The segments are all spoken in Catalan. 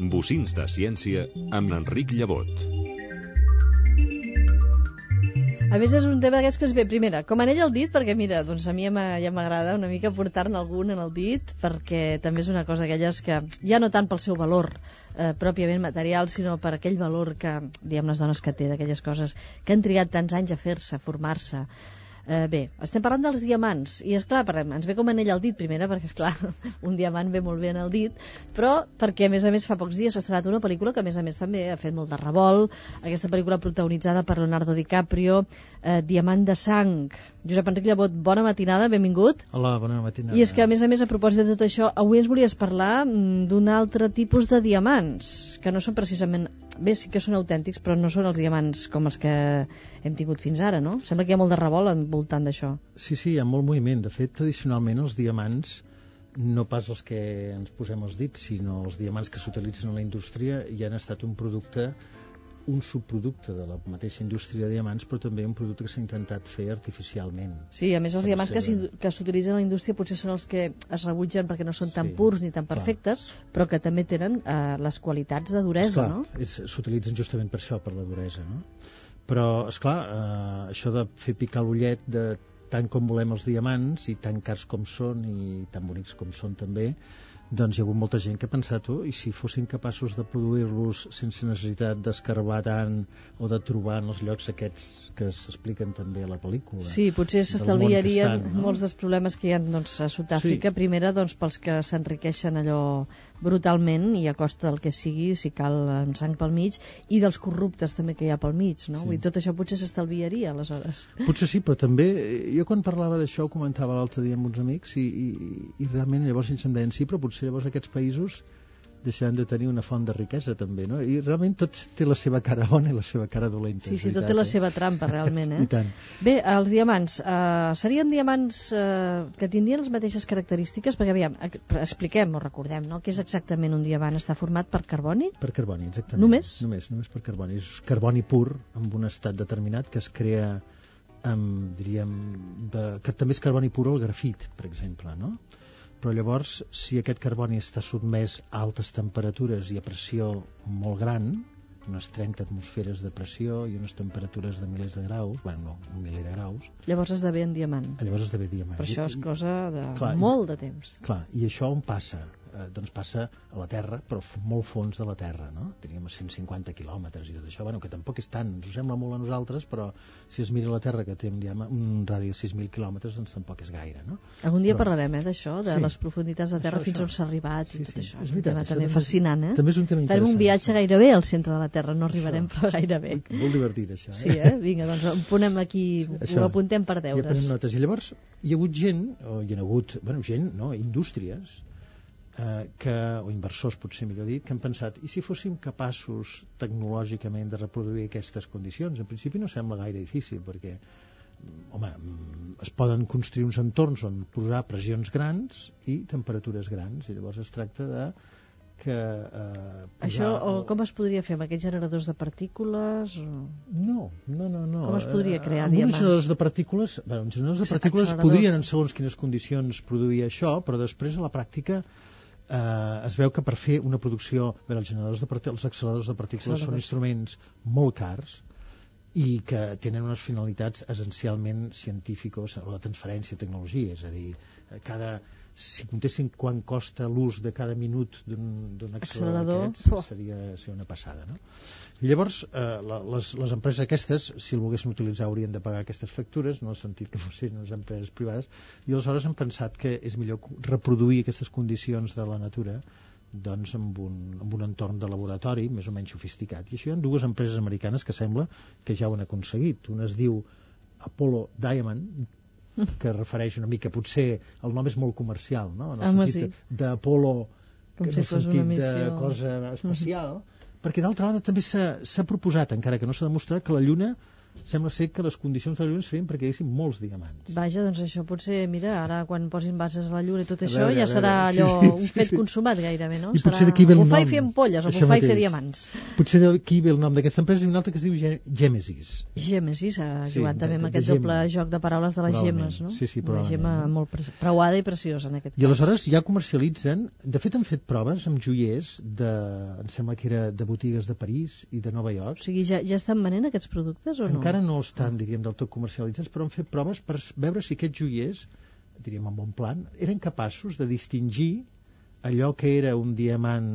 Bocins de ciència amb Enric Llevot. A més, és un tema d'aquests que es ve, primera, com anell al dit, perquè mira, doncs a mi ja m'agrada una mica portar-ne algun en el dit, perquè també és una cosa d'aquelles que, ja no tant pel seu valor pròpiament material, sinó per aquell valor que, diguem, les dones que té, d'aquelles coses que han trigat tants anys a fer-se, a formar-se. Bé, estem parlant dels diamants, i és clar, ens ve com anell al dit, primera, perquè és clar, un diamant ve molt bé en el dit, però perquè a més fa pocs dies s'ha estrenat una pel·lícula que a més també ha fet molt de revolt, aquesta pel·lícula protagonitzada per Leonardo DiCaprio, Diamant de sang. Josep Enric Llevot, bona matinada, benvingut. Hola, bona matinada. I és que a més, a propòsit de tot això, avui ens volies parlar d'un altre tipus de diamants, que no són precisament, bé, sí que són autèntics, però no són els diamants com els que hem tingut fins ara, no? Sembla que hi ha molt de revolt al voltant d'això. Sí, hi ha molt moviment. De fet, tradicionalment els diamants, no pas els que ens posem els dits, sinó els diamants que s'utilitzen a la indústria, ja han estat un subproducte de la mateixa indústria de diamants, però també un producte que s'ha intentat fer artificialment. Sí, a més els diamants que s'utilitzen a la indústria potser són els que es rebutgen perquè no són tan purs ni tan perfectes, però que també tenen les qualitats de duresa, no? S'utilitzen justament per això, per la duresa, no? Però, esclar, això de fer picar l'ullet de tant com volem els diamants, i tan cars com són, i tan bonics com són també, doncs hi ha hagut molta gent que ha pensat, i si fossin capaços de produir-los sense necessitat d'escarbar tant o de trobar en els llocs aquests que s'expliquen també a la pel·lícula. Sí, potser s'estalviarien molts dels problemes que hi ha a Sud-àfrica, primera pels que s'enriqueixen allò brutalment i a costa del que sigui, si cal amb sang pel mig, i dels corruptes també que hi ha pel mig, no? I tot això potser s'estalviaria aleshores. Potser sí, però també jo quan parlava d'això ho comentava l'altre dia amb uns amics i realment llavors ells em deien sí, però potser llavors aquests països deixaran de tenir una font de riquesa també, no? I realment tot té la seva cara bona i la seva cara dolenta. Sí, tot té la seva trampa realment, I tant. Bé, els diamants serien diamants que tindrien les mateixes característiques, perquè aviam, expliquem o recordem, no? Què és exactament un diamant? Està format per carboni? Per carboni, exactament. Només? Només per carboni. És carboni pur amb un estat determinat que es crea que també és carboni pur el grafit, per exemple, no? Però llavors, si aquest carboni està sotmès a altes temperatures i a pressió molt gran, unes 30 atmosferes de pressió i unes temperatures de milers de graus, un miler de graus... Llavors esdevé en diamant. Llavors esdevé diamant. Però això és cosa de molt de temps. Clar, i això on passa? Doncs passa a la Terra, però molt fons de la Terra, no? Teníem 150 quilòmetres i tot això, que tampoc és tant, ens ho sembla molt a nosaltres, però si es mira la Terra, que té un radi de 6.000 quilòmetres, doncs tampoc és gaire, no? Algun dia parlarem, d'això, de les profunditats de Terra, fins on s'ha arribat i tot això. És un tema també fascinant, També és un tema interessant. Farem un viatge gairebé al centre de la Terra, no arribarem, però gairebé. Molt divertit, això. Sí, Vinga, doncs ho ponem aquí, ho apuntem per deures. I aprenem notes. I llavors hi ha hagut gent, indústries, o inversors, potser millor dit, que han pensat, i si fóssim capaços tecnològicament de reproduir aquestes condicions? En principi no sembla gaire difícil, perquè es poden construir uns entorns on posar pressions grans i temperatures grans, i llavors es tracta de que... Això, com es podria fer amb aquests generadors de partícules? No. Com es podria crear diamants? Uns generadors de partícules, uns generadors de partícules podrien, en segons quines condicions, produir això, però després a la pràctica es veu que per fer una producció... Els acceleradors de partícules són instruments molt cars i que tenen unes finalitats essencialment científiques o de transferència de tecnologia, és a dir, si comptessin quan costa l'ús de cada minut d'un accelerador d'aquests, seria una passada, no? I llavors, les empreses aquestes, si el volguessin utilitzar, haurien de pagar aquestes factures, no en el sentit que fossin unes empreses privades, i aleshores han pensat que és millor reproduir aquestes condicions de la natura doncs amb un entorn de laboratori més o menys sofisticat. I això hi ha dues empreses americanes que sembla que ja ho han aconseguit. Una es diu Apollo Diamond, que refereix una mica, potser el nom és molt comercial, no? En el sentit d'Apollo, en el sentit de cosa espacial, perquè d'altra banda també s'ha proposat, encara que no s'ha demostrat, que la Lluna sembla ser que les condicions de la Lluna serien perquè hi haguessin molts diamants. Vaja, doncs això potser, mira, ara quan posin bases a la Lluna i tot això, veure, ja serà allò un fet consumat gairebé, no? I potser d'aquí ve el nom. Bufar i fer ampolles o bufar i fer diamants. Potser d'aquí ve el nom d'aquesta empresa i una altra que es diu Gèmesis. Gèmesis, ha jugat també amb aquest doble joc de paraules de les gemmes, no? Sí, una gemma molt preuada i preciosa en aquest cas. I aleshores ja comercialitzen, de fet han fet proves amb joiers em sembla que era de botigues de París i de Nova York. O sigui, ja estan venent aquests productes o no? Encara no estan, diríem, del tot comercialitzats, però han fet proves per veure si aquests joiers, diríem en bon plan, eren capaços de distingir allò que era un diamant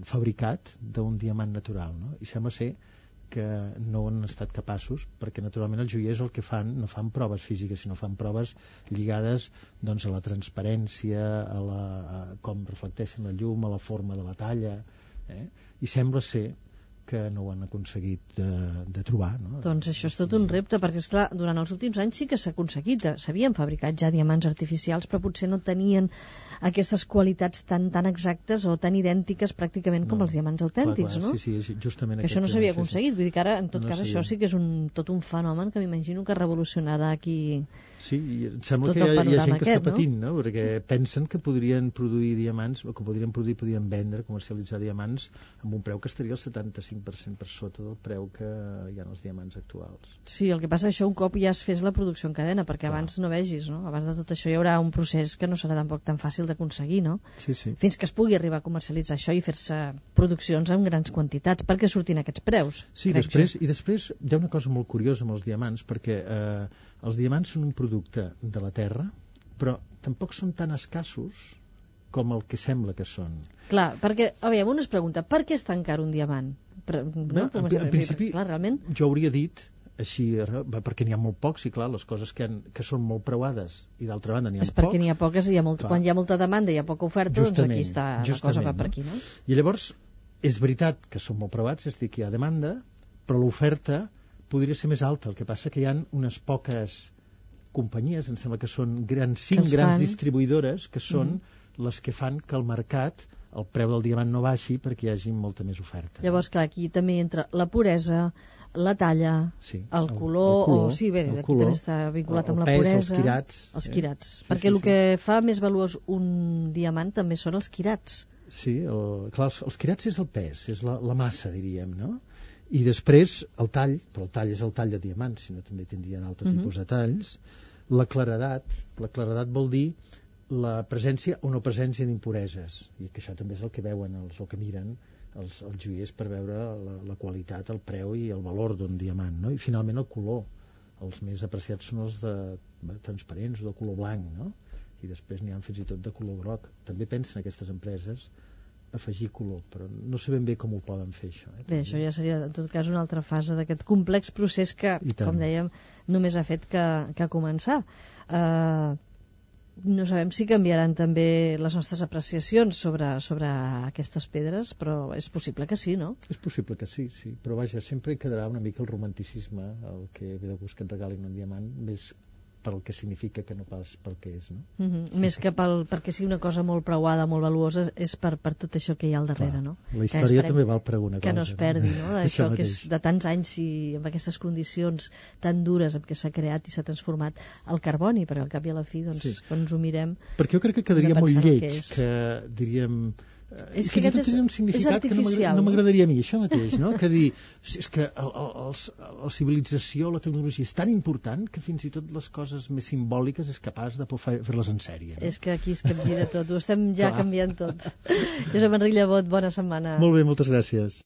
fabricat d'un diamant natural, no? I sembla ser que no han estat capaços, perquè naturalment els joiers el que fan, no fan proves físiques, sinó fan proves lligades doncs, a la transparència, a com reflecteixen la llum, a la forma de la talla, i sembla ser que no ho han aconseguit de trobar, no? Doncs això és tot un repte, perquè esclar, durant els últims anys sí que s'ha aconseguit, s'havien fabricat ja diamants artificials, però potser no tenien aquestes qualitats tan exactes o tan idèntiques pràcticament com els diamants autèntics, no? Sí, justament que això no s'havia aconseguit, vull dir que ara en tot cas això sí que és tot un fenomen que m'imagino que revolucionarà aquí. Sí, i em sembla que hi ha gent que està patint, no? Perquè pensen que podrien produir diamants, o que podrien vendre, comercialitzar diamants amb un preu que estaria al 75% per sota del preu que hi ha els diamants actuals. Sí, el que passa això un cop ja es fes la producció en cadena, perquè abans no vegis, no? Abans de tot això hi haurà un procés que no serà tampoc tan fàcil d'aconseguir, no? Sí. Fins que es pugui arribar a comercialitzar això i fer-se produccions en grans quantitats perquè surtin aquests preus. Sí, després hi ha una cosa molt curiosa amb els diamants, perquè els diamants són un producte de la Terra, però tampoc són tan escassos com el que sembla que són. Clar, perquè, aviam, un es pregunta, per què és tan car un diamant? En principi, clar, realment... jo hauria dit així, perquè n'hi ha molt pocs, i clar, les coses que són molt preuades i d'altra banda n'hi ha pocs... És perquè n'hi ha poques i quan hi ha molta demanda i hi ha poca oferta, doncs aquí està la cosa, va per aquí, no? I llavors, és veritat que són molt preuats, és a dir, que hi ha demanda, però l'oferta podria ser més alta. El que passa que hi ha unes poques companyies, em sembla que són cinc grans distribuïdores, que són les que fan que el mercat, el preu del diamant no baixi perquè hi hagi molta més oferta. Llavors, clar, aquí també entra la puresa, la talla, el color, aquí també està vinculat amb la puresa. Els quirats. Perquè el que fa més valuós un diamant també són els quirats. Sí, clar, els quirats és el pes, és la massa, diríem, no? I després el tall, però el tall és el tall de diamants, sinó també tindrien altre tipus de talls. La claredat vol dir la presència o no presència d'impureses, i que això també és el que veuen o que miren els joiers per veure la qualitat, el preu i el valor d'un diamant, no? I finalment el color, els més apreciats són els de transparents o de color blanc, no? I després n'hi ha fins i tot de color groc. També pensen aquestes empreses afegir color, però no sé ben bé com ho poden fer, això. Bé, això ja seria en tot cas una altra fase d'aquest complex procés que, com dèiem, només ha fet que començar. No sabem si canviaran també les nostres apreciacions sobre aquestes pedres, però és possible que sí, no? És possible que sí, però vaja, sempre hi quedarà una mica el romanticisme, el que ve de gust que et regalin un diamant, més pel que significa que no pas pel que és, no? Més que perquè sigui una cosa molt preuada, molt valuosa, és per tot això que hi ha al darrere, no? La història també val per alguna cosa. Que no es perdi, no? Això que és de tants anys i amb aquestes condicions tan dures amb què s'ha creat i s'ha transformat el carboni, perquè al cap i a la fi, doncs, quan ens ho mirem... Perquè jo crec que quedaria molt lleig, que diríem... És que aquest un significat que no m'agradaria a mi, això mateix, no? Que dir, és que la civilització, la tecnologia és tan important que fins i tot les coses més simbòliques és capaç de fer-les en sèrie, no? És que aquí es capgira tot, ho estem ja canviant tot. Josep Enric Llevot, bona setmana. Molt bé, moltes gràcies.